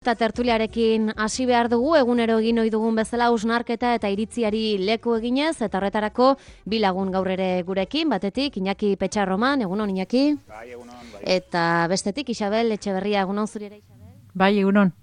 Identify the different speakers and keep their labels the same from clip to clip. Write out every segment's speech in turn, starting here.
Speaker 1: Eta tertuliarekin hasi behar dugu, egunero egin ohi dugun bezala hausnarketa eta iritziari leku eginez, eta horretarako bi lagun gaur ere gurekin, batetik Iñaki Petxarroman, egunon Iñaki.
Speaker 2: Bai, egunon, bai.
Speaker 1: Eta bestetik Isabel Etxeberria, egunon zuri ere Isabel.
Speaker 3: Bai, egunon.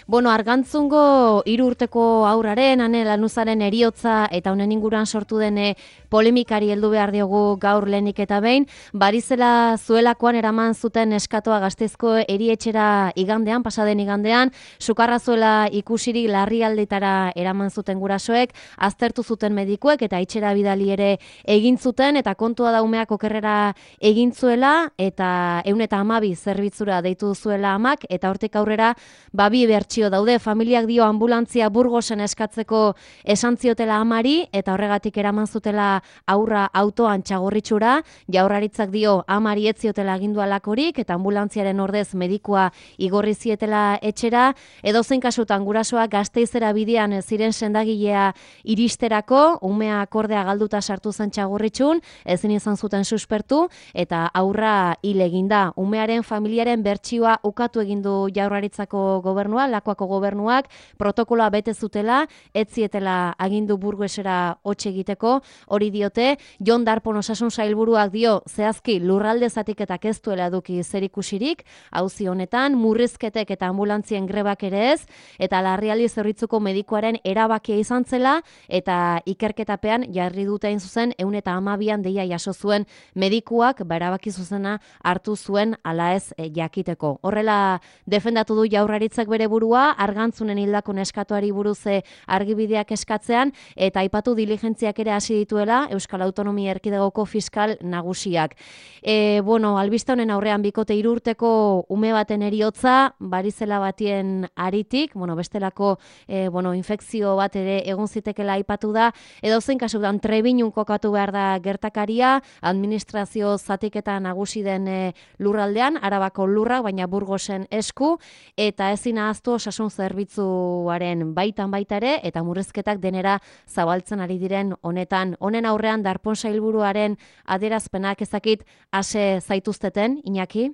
Speaker 1: Bueno, Argantzungo 3 urteko haurraren, Ane Lanuzaren heriotza eta honen inguruan sortu den polemikari heldu behar diogu gaur lehenik eta behin. Barizela zuelakoan eraman zuten eskatoa Gasteizko erietxera igandean, pasaden igandean, sukarra zuela ikusirik larrialdietara eraman zuten gurasoek, aztertu zuten medikuek eta etxera bidali ere egin zuten, eta kontua da umeak okerrera egin zuela, eta 112 zerbitzura deitu zuela amak, eta hortik aurrera bi bertsio daude. Familiak dio anbulantzia Burgosen eskatzeko esan ziotela amari, eta horregatik eraman zutela aurra autoan Txagorritxura. Jaurlaritzak dio amari ez ziotela agindu halakorik, eta ambulantziaren ordez medikua igorri zietela etxera. Edozein kasutan gurasoak Gasteizera bidean ziren sendagilea iristerako, umea akordea galduta sartu zen Txagorritxun, ezin izan zuten suspertu, eta aurra hil eginda. Umearen familiaren bertsioa ukatu egin du Jaurlaritzako gobernua, Lakuako gobernuak, protokoloa bete zutela, ez zietela agindu Burgosera hots egiteko. Hori diote, Jon Darpon osasun sailburuak dio zehazki lurralde zatiketak ez duela eduki zerikusirik, auzi honetan, murrizketek eta anbulantzien grebak ere ez, eta larrialdi zerbitzuko medikuaren erabakia izan zela, eta ikerketapean jarri dute hain zuzen 112an deia jaso zuen medikuak, erabaki zuzena hartu zuen ala ez jakiteko. Horrela defendatu du Jaurlaritzak bere burua, Argantzunen hildako neskatoari buruz argibideak eskatzean, eta aipatu diligentziak ere hasi dituela Euskal Autonomia Erkidegoko fiskal nagusiak. Albiste honen aurrean bikote 3 urteko ume baten heriotza, barizela batien aritik, bestelako infekzio bat ere egon zitekela aipatu da, edozein kasutan Trebinun kokatu behar da gertakaria, administrazio zatiketa nagusi den lurraldean, Arabako lurrak, baina Burgosen esku, eta ezin ahaztu osasun zerbitzuaren baitan baita ere, eta murrizketak denera zabaltzen ari diren honetan. Honen aurrean Darpon sailburuaren adierazpenak ezakit ase zaituzteten, Iñaki?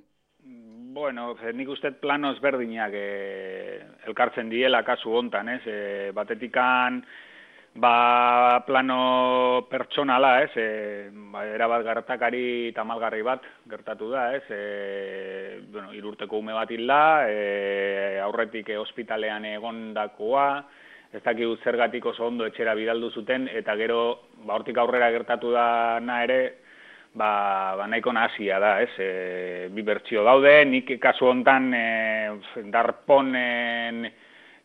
Speaker 2: Bueno, nik uste plano ezberdinak elkartzen diela kasu hontan, ez? Batetikan plano pertsonala, ez? Erabat gertakari tamalgarri bat gertatu da, ez? 3 urteko ume bat hilda, aurretik ospitalean egondakoa, ez dakigu zergatik oso ondo etxera bidaldu zuten, eta gero hortik aurrera gertatu dana ere, nahiko nahasia da, ez? Bi bertsio daude, nik kasu hontan Darponen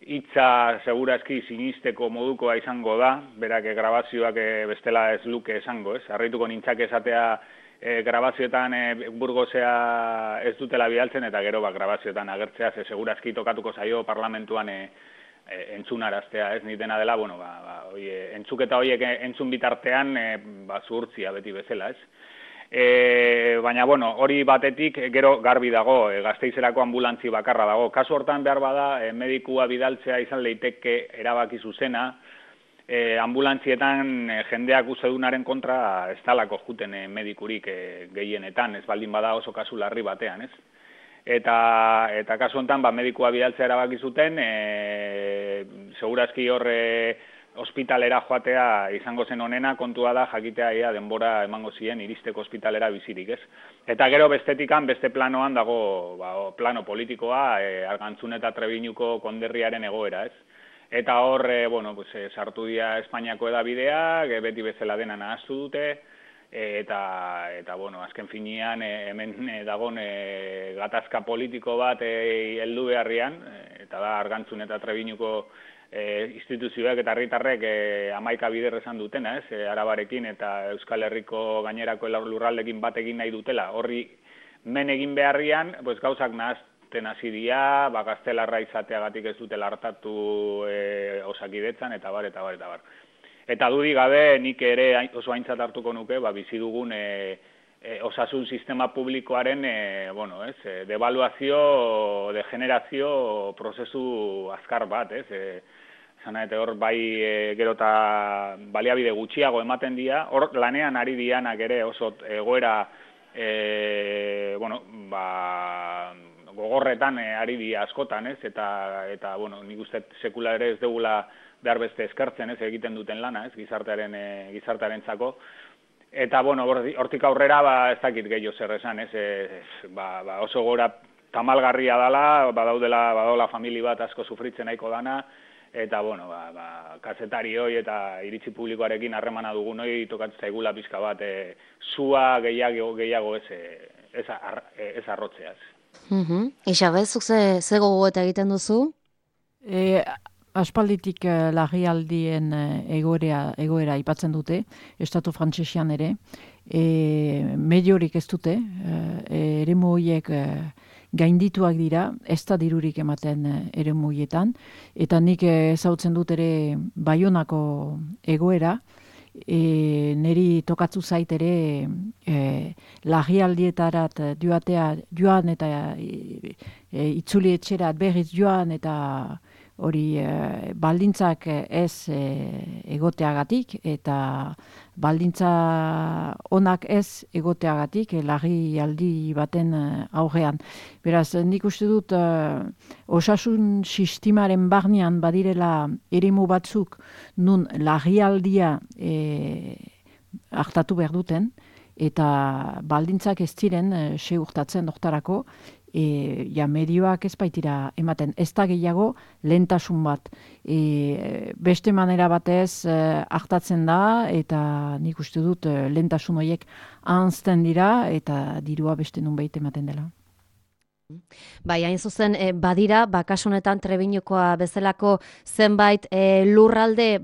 Speaker 2: hitza segurazki sinisteko modukoa izango da, berak grabazioak bestela ez luke esango, ez? Harrituko nintzak esatea grabazioetan Burgosea ez dutela bidaltzen, eta gero grabazioetan agertzea, segurazki tokatuko zaio parlamentuan entzunaraztea, ez? Nik dena dela, entzuketa horiek entzun bitartean zuhurtzia beti bezala, ez? Baina, hori batetik gero garbi dago, Gasteizerako ambulantzi bakarra dago. Kasu hortan behar bada, medikua bidaltzea izan leiteke erabaki zuzena, ambulantzietan jendeak uzedunaren kontra ez talako juten medikurik gehienetan, ez baldin bada oso kasu larri batean, ez? Eta kasu honetan medikua bidaltzea erabaki zuten, segurazki horre ospitalera joatea izango zen honena, kontua da jakitea ia denbora emango zien iristeko ospitalera bizirik, ez? Eta gero bestetikan, beste planoan dago plano politikoa, Argantzun eta Trebiñuko konderriaren egoera, ez? Eta hor, sartu dira Espainiako edabideak, beti bezala dena nahaztu dute, eta azken finean hemen dagon gatazka politiko bat heldu beharrian, eta da Argantzun eta Trebiñuko instituzioak eta herritarrek 11 bider esan dutena, ez? Arabarekin eta Euskal Herriko gainerako lurraldekin bat egin nahi dutela. Horri men egin beharrian, gauzak nahazten hasi dira, gaztelarra izateagatik ez dutela hartatu Osakidetzan, eta bar. Eta dudik gabe, nik ere oso aintzat hartuko nuke, bizi dugun osasun sistema publikoaren devaluazio, degenerazio prozesu azkar bat, ez? Eta hor gero eta baliabide gutxiago ematen dira, hor lanean ari dianak ere oso egoera gogorretan ari di askotan, ez? Eta bueno, nik uste sekula ere ez dugula behar beste eskartzen, ez, egiten duten lana, ez, gizartearentzako. Eta bueno, hortik aurrera ez dakit gehiago zer esan, ez, oso gora tamalgarria dela, badaula famili bat asko sufritzen nahiko dana, eta bueno, kazetari hoi eta iritzi publikoarekin harremana dugun hoi tokatzen zaigula pizka bat sua gehiago ez arrotzeaz.
Speaker 1: Isabel, zuk ze gogoeta egiten duzu?
Speaker 3: Aspalditik larrialdien egoera aipatzen dute, estatu frantsesean ere, mediorik ez dute, eremu horiek gaindituak dira, ez da dirurik ematen eremu horietan, eta nik ezautzen dut ere Baionako egoera, neri tokatzu zait ere larrialdietarat joan eta itzuli etxerat berriz joan eta hori baldintzak ez egoteagatik eta baldintza onak ez egoteagatik larrialdi baten aurrean. Beraz, nik uste dut osasun sistemaren barnean badirela eremu batzuk nun larrialdia hartatu behar duten eta baldintzak ez ziren segurtatzen hortarako medioak ez baitira ematen. Ez da gehiago lehentasun bat. Beste manera batez hartatzen da eta nik uste dut lehentasun horiek ahanzten dira eta dirua beste nunbait ematen dela.
Speaker 1: Bai, hain zuzen, badira, kasu honetan Trebiñukoa bezalako zenbait lurralde,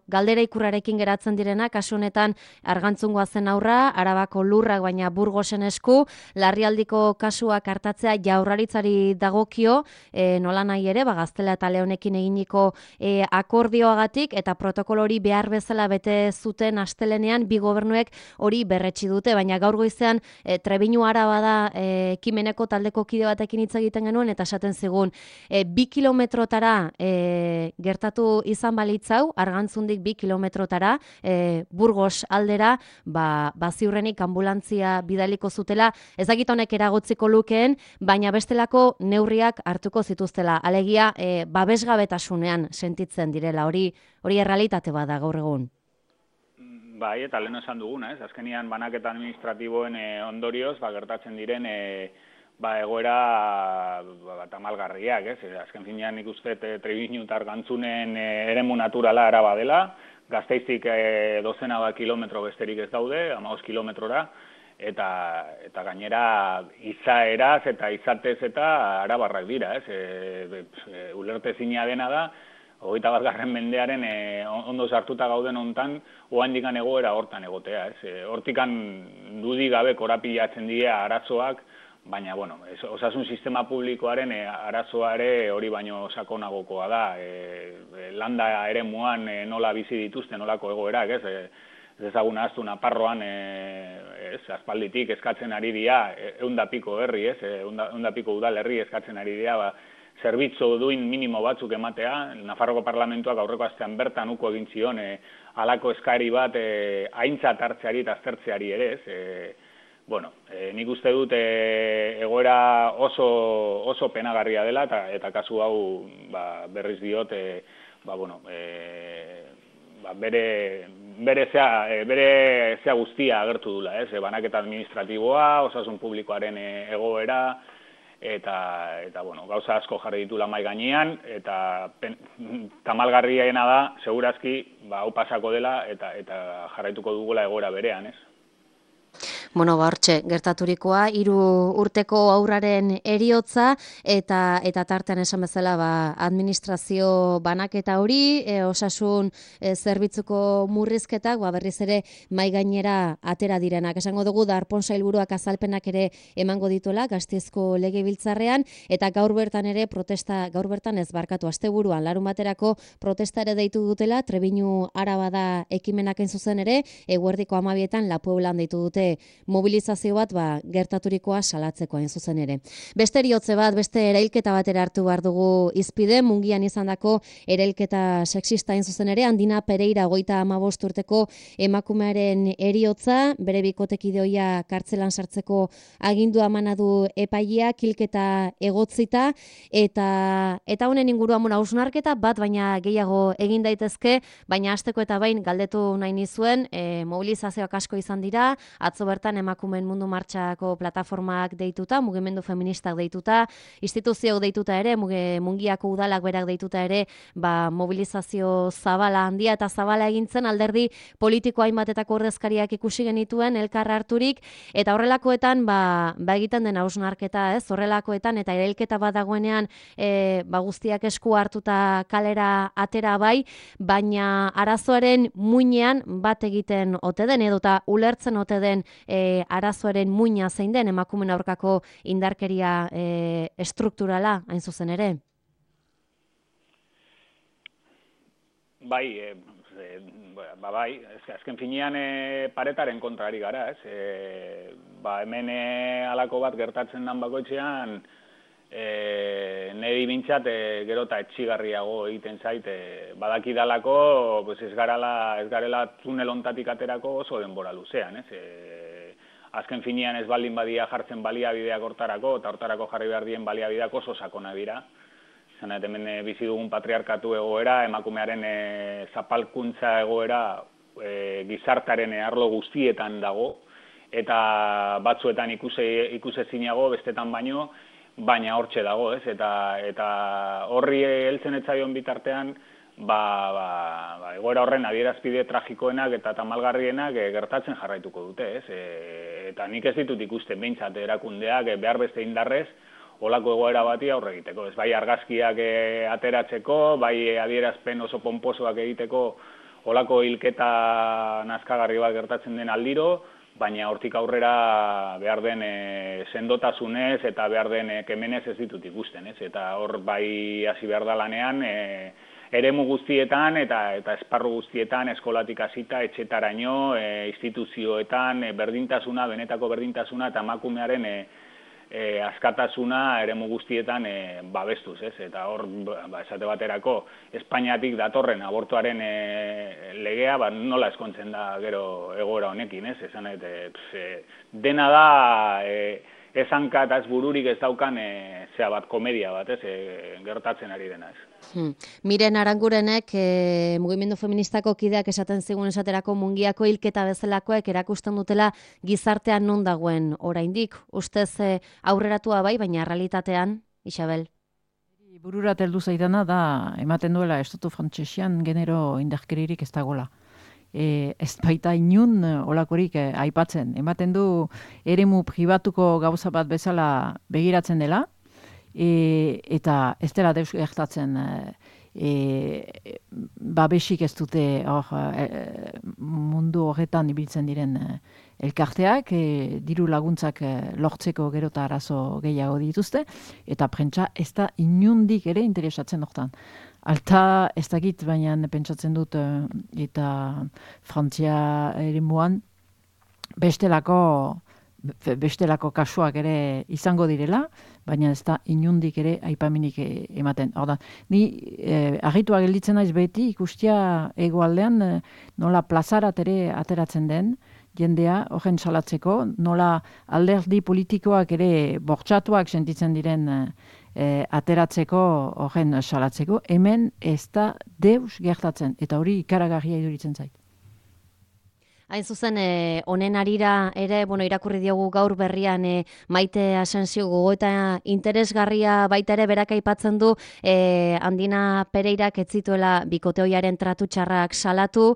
Speaker 1: galdera ikurrarekin geratzen direna, kasu honetan Argantzungoa zen aurra, Arabako lurrak baina Burgosen esku, larrialdiko kasuak hartatzea Jaurlaritzari dagokio, nola nahi ere, Gaztela eta Leonekin eginiko akordioagatik, eta protokolo hori behar bezala bete zuten astelenean, bi gobernuek hori berretsi dute, baina gaur goizean Trebiñu Araba da ekimeneko taldeko kide batekin hitz egiten genuen eta esaten zigun 2 kilometrotara gertatu izan balitzau, Argantzundik 2 kilometrotara Burgos aldera, ziurrenik anbulantzia bidaliko zutela, ez dakit honek eragotziko lukeen, baina bestelako neurriak hartuko zituztela. Alegia, babesgabetasunean sentitzen direla, hori errealitate bada gaur egun.
Speaker 2: Bai, eta lehen esan duguna, ez? Azkenian banaketa administratiboen ondorioz, gertatzen diren egoera tamalgarriak, ez? Azken finean nik uste Trebiñu eta Argantzunen eremu naturala Araba dela, Gazteiztik dozena kilometro besterik ez daude, 15 kilometrora, eta gainera izaeraz eta izatez eta arabarrak dira, ez? Ulertezina dena da, 21. mendearen ondo sartuta gauden hontan, oaindikan egoera hortan egotea, ez? Hortikan dudik gabe korapilatzen dira arazoak, baina, osasun sistema publikoaren arazoa ere hori baino sakonagokoa da. Landa eremuan nola bizi dituzte, nolako egoerak, ez? Ez ezagun ahaztu Nafarroan, aspalditik eskatzen ari dira, 100 piko herri, ez? 100 piko udalerri eskatzen ari dira, zerbitzu duin minimo batzuk ematea. Nafarroko parlamentuak aurreko astean bertan uko egin zion halako eskari bat aintzat hartzeari eta aztertzeari ere, ez? Nik uste dut egoera oso penagarria dela eta kasu hau berriz diot bere zea guztia agertu dula, ez? Banaketa administratiboa, osasun publikoaren egoera, eta gauza asko jarri ditula mahai gainean, eta tamalgarriena da, segurazki, hau pasako dela, eta jarraituko dugula egoera berean, ez?
Speaker 1: Hortxe, gertaturikoa, 3 urteko haurraren heriotza eta tartean esan bezala administrazio banaketa hori, osasun zerbitzuko murrizketak, berriz ere mahai gainera atera direnak. Esango dugu Darpón sailburuak azalpenak ere emango dituela Gasteizko Legebiltzarrean, eta gaur bertan ez asteburuan, larunbaterako protesta ere deitu dutela, Trebiñu Araba da ekimenak zuzen ere, eguerdiko 12etan La Pueblan deitu dute mobilizazio bat gertaturikoa salatzeko hain zuzen ere. Beste eriotze bat, beste erailketa batera hartu behar dugu izpide, Mungian izandako erailketa sexista hain zuzen ere, Andina Pereira 55 urteko emakumearen eriotza, bere bikotekideoia kartzelan sartzeko agindua emana du epaileak, hilketa egotzita, eta honen inguruan hausnarketa bat baina gehiago egin daitezke, baina hasteko eta bain galdetu nahi nizuen, mobilizazioak asko izan dira, atzo bertan emakumeen mundu martxako plataformak deituta, mugimendu feministak deituta, instituzioak deituta ere, Mungiako udalak berak deituta ere, mobilizazio zabala handia eta zabala egintzen, alderdi politiko hainbatetako ordezkariak ikusi genituen elkar harturik, eta horrelakoetan egiten den hausnarketa, ez? Horrelakoetan eta erailketa bat dagoenean guztiak esku hartuta kalera atera bai, baina arazoaren muinean bat egiten ote den edota ulertzen ote den arazoaren muina zein den emakumeen aurkako indarkeria estrukturala hain zuzen ere.
Speaker 2: Bai, azken finean paretaren kontrari gara, ez? Hemen halako bat gertatzen den bakoitzean, niri bintzat gero eta etxigarriago egiten zait, badakidalako ez garela tunel hontatik aterako oso denbora luzean, ez? Azken finean ez baldin badia jartzen baliabideak hortarako, eta hortarako jarri behar dien baliabideak oso sakona dira. Zanet, hemen bizi dugun patriarkatu egoera, emakumearen zapalkuntza egoera gizartaren arlo guztietan dago, eta batzuetan ikusezinago, bestetan baino, baina hortxe dago, ez? Eta horri heltzen etzaion bitartean, egoera horren adierazpide tragikoenak eta tamalgarrienak gertatzen jarraituko dute, ez? Eta nik ez ditut ikusten behintzat erakundeak behar beste indarrez, olako egoera bati aurre egiteko. Ez bai argazkiak ateratzeko, bai adierazpen oso ponposoak egiteko olako hilketa nazkagarri bat gertatzen den aldiro, baina hortik aurrera behar den sendotasunez eta behar den kemenez ez ditut ikusten, ez? Eta hor bai hasi behar da lanean, eremu guztietan eta esparru guztietan, eskolatik hasita, etxetaraino, instituzioetan, berdintasuna, benetako berdintasuna eta emakumearen askatasuna eremu guztietan babestuz, ez? Eta hor, esate baterako, Espainiatik datorren abortuaren legea, nola eskontzen da gero egoera honekin, ez? Esan dena da, ez hanka eta ez bururik ez daukan komedia bat, ez? Gertatzen ari dena, ez?
Speaker 1: Miren Arangurenek mugimendu feministako kideak esaten zigun esaterako Mungiako hilketa bezalakoek erakusten dutela gizartean non dagoen oraindik. Ustez aurreratua bai, baina realitatean, Isabel?
Speaker 3: Bururat heldu zaidana da ematen duela estatu frantsesian genero indarkeririk ez dagoela. Ez baita inun olakorik aipatzen. Ematen du eremu pribatuko gauza bat bezala begiratzen dela, eta ez dela deus gertatzen babesik ez dute mundu horretan ibiltzen diren elkarteak, diru laguntzak lortzeko gero eta arazo gehiago dituzte, eta prentsa ez da inundik ere interesatzen hortan. Alta ez dakit, baina pentsatzen dut eta Frantzia eremuan bestelako kasuak ere izango direla, baina ez da inundik ere aipaminik ematen. Horda, ni argitua gelditzen naiz beti ikustia hegoaldean nola plazarat ere ateratzen den, jendea horren salatzeko, nola alderdi politikoak ere bortxatuak sentitzen diren ateratzeko horren salatzeko, hemen ez da deus gertatzen, eta hori ikaragarria iduritzen zait.
Speaker 1: Hain zuzen, honen arira ere, irakurri diogu gaur berrian Maite Asensio gogoeta interesgarria baita ere berak aipatzen du Andina Pereirak ez zituela bikoteoiaren tratu txarrak salatu,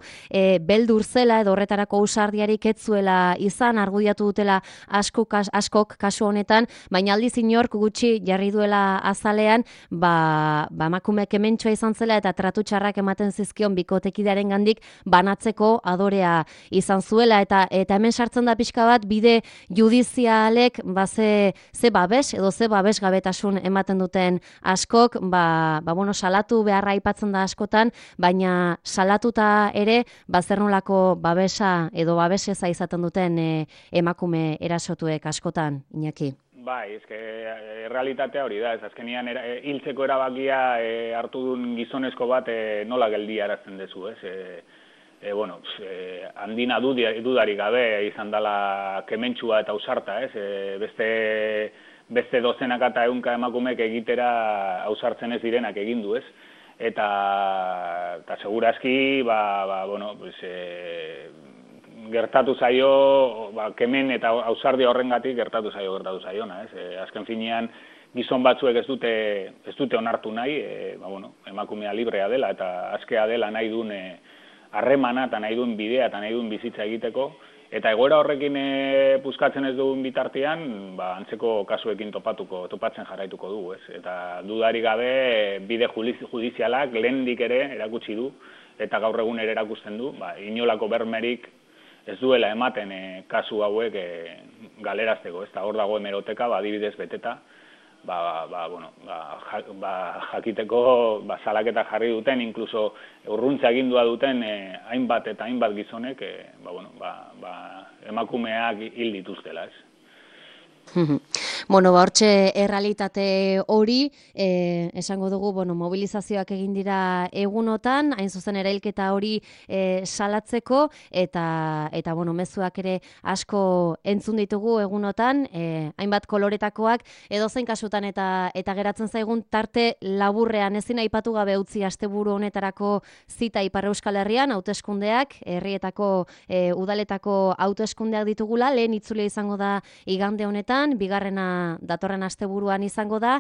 Speaker 1: beldur zela edo horretarako ausardiarik ez zuela izan, argudiatu dutela askok kasu honetan, baina aldiz inork gutxi jarri duela azalean, emakumeak hementxoa izan zela eta tratu txarrak ematen zizkion bikotekidearen gandik banatzeko adorea izan izan zuela, eta hemen sartzen da pixka bat bide judizialek ze babes edo ze babesgabetasun ematen duten askok, bueno, salatu beharra aipatzen da askotan, baina salatuta ere zer nolako babesa edo babeseza izaten duten emakume erasotuek askotan, Iñaki.
Speaker 2: Bai, realitatea hori da, azkenian hiltzeko erabakia hartu duen gizonezko bat nola geldiarazten dezu, ez? Bueno, handina dudarik gabe izan dela kementsua eta ausarta, ez? Beste dozenaka eta ehunka emakumek egitera ausartzen ez direnak egin du, ez? Eta segurazki, bueno, gertatu zaio, kemen eta ausardia horrengatik gertatu zaiona, ez? Azken finean, gizon batzuek ez dute onartu nahi, bueno, emakumea librea dela eta askea dela nahi duen harremana eta nahi duen bidea eta nahi duen bizitza egiteko, eta egoera horrekin puskatzen ez duen bitartean, antzeko kasuekin topatzen jarraituko dugu, ez? Eta dudarik gabe bide judizialak lehendik ere erakutsi du, eta gaur egun ere erakusten du, inolako bermerik ez duela ematen kasu hauek galerazteko, ez da hor dago hemeroteka, adibidez beteta, bueno, jakiteko salaketa jarri duten, inkluso urruntza egindua duten hainbat eta hainbat gizonek, bueno, emakumeak hil dituztela, ez?
Speaker 1: Bueno, hortxe errealitate hori, esango dugu, bueno, mobilizazioak egin dira egunotan, hain zuzen erailketa hori salatzeko, eta bueno, mezuak ere asko entzun ditugu egunotan, hainbat koloretakoak, edozein kasutan eta geratzen zaigun tarte laburrean ezin aipatu gabe utzi asteburu honetarako zita Ipar Euskal Herrian, hauteskundeak, herrietako udaletako hauteskundeak ditugula, lehen itzulia izango da igande honetan, bigarrena datorren asteburuan izango da.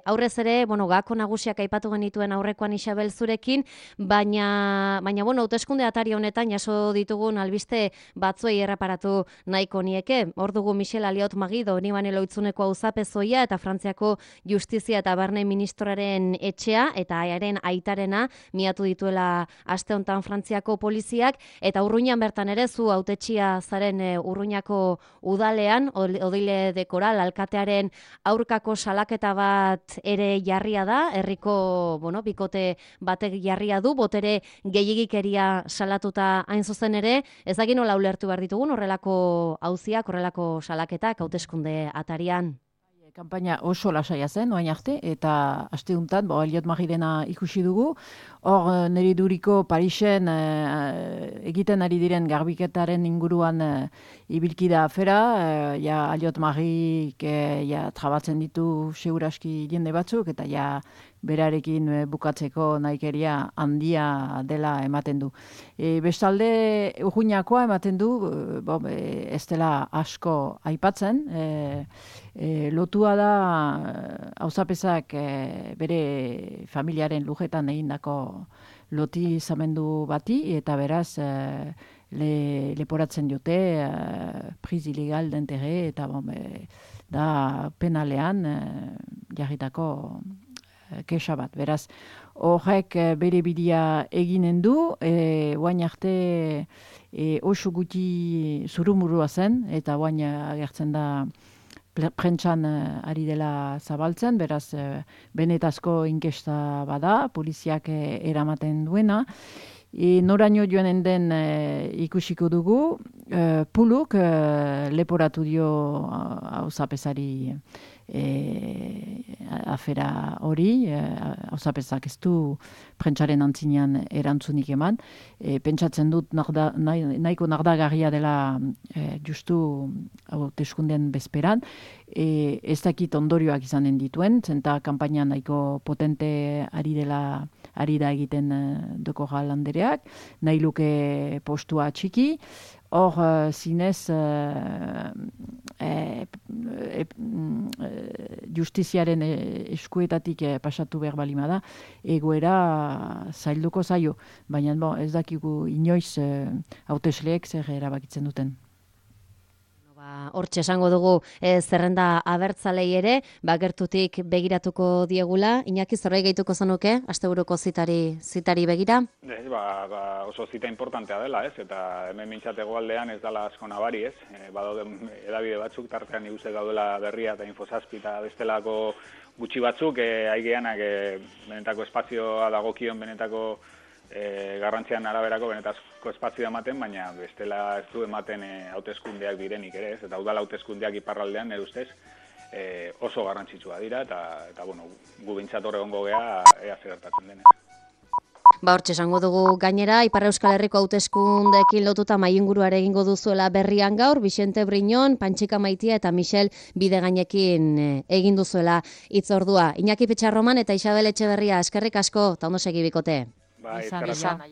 Speaker 1: Aurrez ere, bueno, gako nagusiak aipatu genituen aurrekoan Isabel zurekin, baina bueno, hauteskunde atari honetan jaso ditugun albiste batzuei erreparatu nahiko nieke. Hor dugu Michel Aliot Magido, Nibane Loitzuneko auzapezoia eta Frantziako Justizia eta Barne Ministroaren etxea, eta haren aitarena miatu dituela aste hontan Frantziako poliziak, eta Urruñan bertan ere zu hautetxia zaren Urruñako udalean, Odile de Coral alkatearen aurkako salaketa bat ere jarria da, herriko, bueno, bikote batek jarria du, botere gehiegikeria salatuta hain zuzen ere, ez dakit nola ulertu behar ditugun horrelako auziak, horrelako salaketak hauteskunde atarian.
Speaker 3: Kanpaina oso lasaia zen, oain arte, eta aste honetan, Aliot Magirena ikusi dugu. Hor, niri duriko Parisen egiten ari diren garbiketaren inguruan ibilkida afera, Aliot Magik trabatzen ditu seguraski jende batzuk, eta berarekin bukatzeko nahikeria handia dela ematen du. Bestalde, Urruñakoa ematen du, ez dela asko aipatzen, lotua da auzapezak bere familiaren lujetan egindako loti zamendu bati, eta beraz leporatzen dute prise ilegal d'intérêt, eta da penalean jarritako kexa bat. Beraz, horrek bere bidea eginen du, oain arte oso guti zurumurua zen, eta oain agertzen da prentsan ari dela zabaltzen, beraz, benetazko inkesta bada, poliziak eramaten duena. Noraino joanen den ikusiko dugu, Puluk leporatu dio auzapezari afera hori, auzapezak ez du prentsaren antzinean erantzunik eman. Pentsatzen dut nahiko nardagarria dela justu hauteskunden bezperan. Ez dakit ondorioak izanen dituen, zenta kanpaina nahiko potente ari da egiten doko galandereak, nahi luke postua txiki. Hor, zinez, justiziaren eskuetatik pasatu behar balima da, egoera zailduko zaio, baina ez dakigu inoiz hautesleek zer erabakitzen duten.
Speaker 1: Hortxe esango dugu zerrenda abertzalei ere, gertutik begiratuko diegula. Iñaki, zerbait gehituko zenuke, asteburuko zitari begira?
Speaker 2: Oso zita importantea dela, ez? Eta hemen mintzatego aldean ez dela asko nabari, ez? Badauden edabide batzuk, tartean iguze gaudela Berria eta Infosazpi eta bestelako gutxi batzuk, aigeanak benetako espazioa dagokion benetako garrantzian araberako benetako espazioa ematen, baina bestela ez du ematen hauteskundeak direnik ere, ez? Eta udal hauteskundeak iparraldean, nire ustez, oso garrantzitsua dira, eta bueno, gu bintzat hor egongo gea ea zer gertatzen denez.
Speaker 1: Hortxe esango dugu gainera, Ipar Euskal Herriko hauteskundeekin lotuta maiinguruare egingo duzuela Berrian gaur, Vicente Briñon, Pantxika Maitia eta Michel Bidegainekin egin duzuela hitzordua. Iñaki Petxarroman eta Isabel Etxeberria, eskerrik asko, eta ondo segi bikote.
Speaker 2: Bai, eskerrik asko.